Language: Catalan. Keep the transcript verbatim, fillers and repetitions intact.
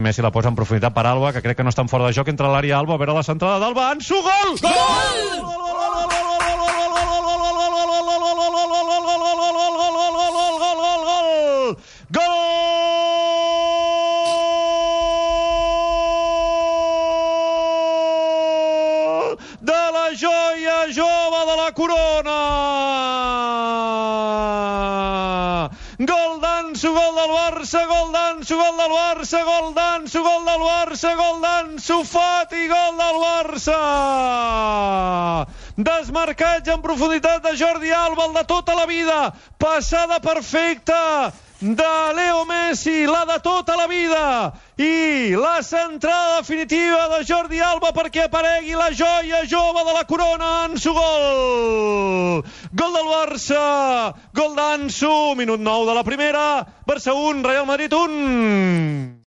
Messi la posa en profunditat per Alba, que crec que no estan fora de joc, entre l'àrea Alba, a veure la centrada d'Alba, Ansu, gol! Gol! De la joia jove de la corona! Gol d'Ansu, gol del Barça, gol d'Ansu, gol del Barça, gol d'Ansu, gol del Barça, gol d'Ansu Fati, gol del Barça! Desmarcatge en profunditat de Jordi Alba, el de tota la vida, passada perfecta de Leo Messi, la de tota la vida, i la centrada definitiva de Jordi Alba perquè aparegui la joia jove de la corona, Ansu, gol! Gol del Barça, gol d'Ansu, minut nou de la primera, Barça un, Real Madrid un.